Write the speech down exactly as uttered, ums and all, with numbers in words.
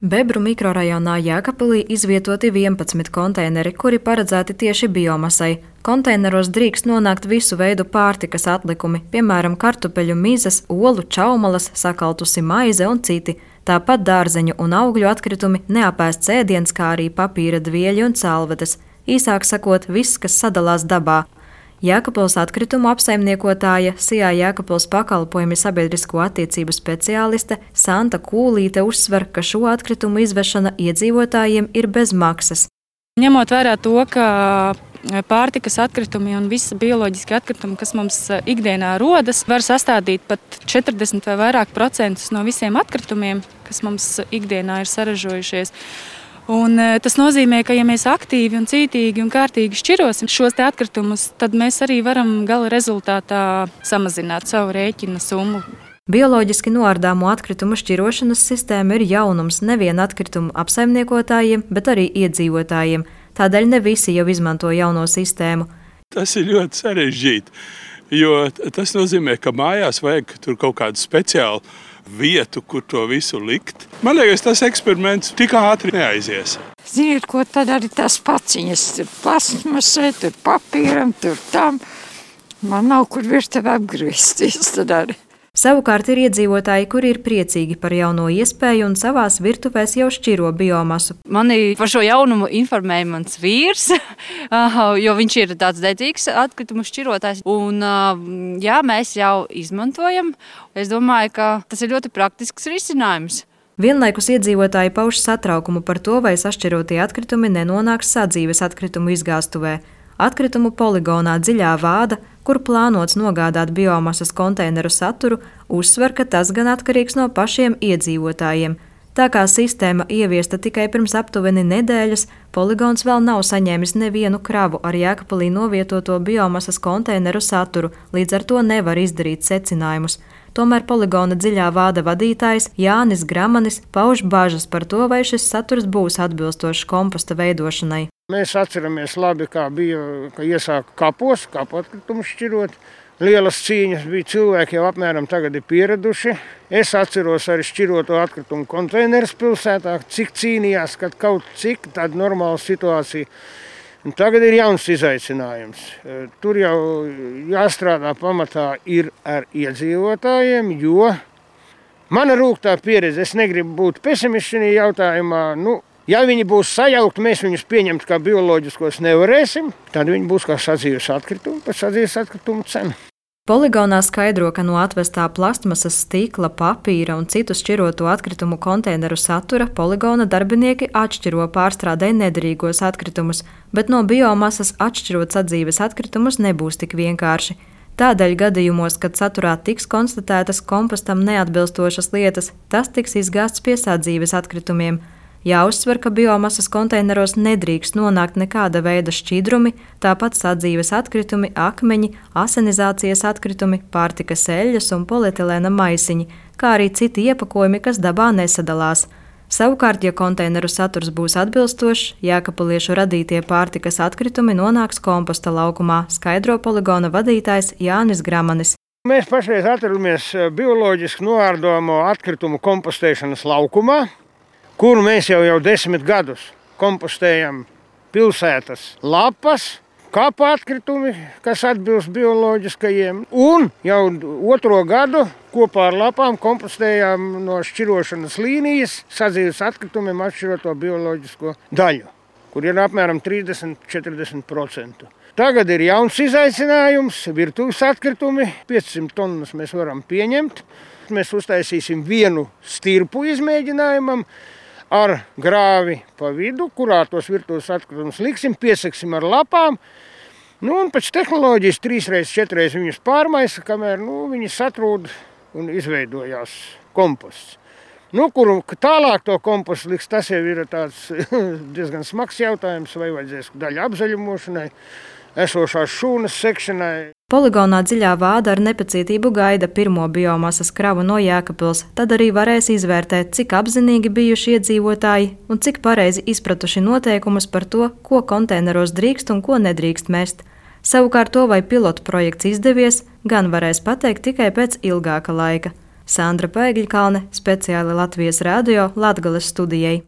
Bebru mikrorajonā Jēkabpilī izvietoti vienpadsmit konteineri, kuri paredzēti tieši biomasai. Konteineros drīkst nonākt visu veidu pārtikas atlikumi, piemēram, kartupeļu mizas, olu, čaumalas, sakaltusi maize un citi. Tāpat dārzeņu un augļu atkritumi, neapēsts ēdiens, kā arī papīra dvieļi un salvetes. Īsāk sakot, viss, kas sadalās dabā. Jēkabpils atkritumu apsaimniekotāja, Sijā Jēkabpils pakalpojumi sabiedrisko attiecību speciāliste Santa Kūlīte uzsver, ka šo atkritumu izvešana iedzīvotājiem ir bez maksas. Ņemot vērā to, ka pārtikas atkritumi un visi bioloģiski atkritumi, kas mums ikdienā rodas, var sastādīt pat četrdesmit vai vairāk procentus no visiem atkritumiem, kas mums ikdienā ir saražojušies. Un tas nozīmē, ka ja mēs aktīvi un cītīgi un kārtīgi šķirosim šos te atkritumus, tad mēs arī varam gala rezultātā samazināt savu rēķina summu. Bioloģiski noārdāmo atkritumu šķirošanas sistēma ir jaunums nevien atkritumu apsaimniekotājiem, bet arī iedzīvotājiem. Tādēļ ne visi jau izmanto jauno sistēmu. Tas ir ļoti sarežģīti, jo tas nozīmē, ka mājās vajag tur kaut kādu speciālu vietu, kur to visu likt. Man liekas, tas eksperiments tik ātri neaizies. Ziniet, ko tad arī tās paciņas, tur plastmasai, tur papīram, tur tam. Man nav kur virtuvē apgriezties tad arī. Savukārt ir iedzīvotāji, kuri ir priecīgi par jauno iespēju un savās virtuvēs jau šķiro biomasu. Mani par šo jaunumu informēja mans vīrs, jo viņš ir tāds dedzīgs atkritumu šķirotājs. Un, jā, mēs jau izmantojam. Es domāju, ka tas ir ļoti praktisks risinājums. Vienlaikus iedzīvotāji pauž satraukumu par to, vai sašķirotie atkritumi nenonāks sadzīves atkritumu izgāstuvē. Atkritumu poligonā Dziļā Vāda, kur plānots nogādāt biomasas konteineru saturu, uzsver, ka tas gan atkarīgs no pašiem iedzīvotājiem. Tā kā sistēma ieviesta tikai pirms aptuveni nedēļas, poligons vēl nav saņēmis nevienu kravu ar Jēkabpilī novietoto biomasas konteineru saturu, līdz ar to nevar izdarīt secinājumus. Tomēr poligona Dziļā Vāda vadītājs Jānis Gramanis pauž bažas par to, vai šis saturs būs atbilstošs komposta veidošanai. Mēs atceramies labi, kā bija, ka iesāka kapos, kapu atkritumu šķirot. Lielas cīņas bija, cilvēki jau apmēram tagad ir pieraduši. Es atceros arī šķiroto atkritumu konteinerus pilsētā, cik cīnījās, kad kaut cik tāda normāla situācija. Un tagad ir jauns izaicinājums. Tur jau jāstrādā pamatā ir ar iedzīvotājiem, jo mana rūgtā pieredze, es negribu būt pesimists šajā jautājumā, nu, ja viņi būs sajaukti, mēs viņus pieņemt kā bioloģiskos nevarēsim, tad viņi būs kā sadzīves atkritumi, par sadzīves atkritumu cenu. Poligonā skaidro, ka no atvestā plastmasas, stikla, papīra un citu šķiroto atkritumu konteineru satura poligona darbinieki atšķiro pārstrādē nederīgos atkritumus, bet no biomasas atšķirot sadzīves atkritumus nebūs tik vienkārši. Tādēļ gadījumos, kad saturā tiks konstatētas kompostam neatbilstošas lietas, tas tiks izgāsts pie sadzīves atkritumiem. Jāuzsver, ka biomasas konteineros nedrīkst nonākt nekāda veida šķidrumi, tāpat sadzīves atkritumi, akmeņi, asenizācijas atkritumi, pārtikas eļļas un polietilēna maisiņi, kā arī citi iepakojumi, kas dabā nesadalās. Savukārt, ja konteineru saturs būs atbilstošs, jēkabpiliešu radītie pārtikas atkritumi nonāks komposta laukumā, skaidro poligona vadītājs Jānis Gramanis. Mēs pašreiz atrodamies bioloģiski noārdāmo atkritumu kompostēšanas laukumā, kuru mēs jau, jau desmit gadus kompostējam pilsētas lapas, kapu atkritumi, kas atbilst bioloģiskajiem, un jau otro gadu kopā ar lapām kompostējām no šķirošanas līnijas sadzīves atkritumiem atšķiroto bioloģisko daļu, kur ir apmēram trīsdesmit līdz četrdesmit procenti. Tagad ir jauns izaicinājums, virtuves atkritumi, piecsimt tonnas mēs varam pieņemt. Mēs uztaisīsim vienu stirpu izmēģinājumam, ar grāvi pa vidu, kurā tos virtuves atkritumus liksim, piesaksim ar lapām. Nu, un pēc tehnoloģijas trīsreiz, četreiz viņus pārmaisa, kamēr nu, viņi satrūd un izveidojās komposts. Nu, kuru tālāk to kompostu liks, tas jau ir tāds diezgan smags jautājums, vai vajadzēs daļa apzaļumošanai, esošās šūnas sekšanai. Poligonā Dziļā Vāda ar nepacietību gaida pirmo biomasas kravu no Jēkabpils, tad arī varēs izvērtēt, cik apzinīgi bijuši iedzīvotāji un cik pareizi izpratuši noteikumus par to, ko konteineros drīkst un ko nedrīkst mest. Savukārt to, vai pilotu projekts izdevies, gan varēs pateikt tikai pēc ilgāka laika. Sandra Pēgļkalne, speciāli Latvijas radio Latgales studijai.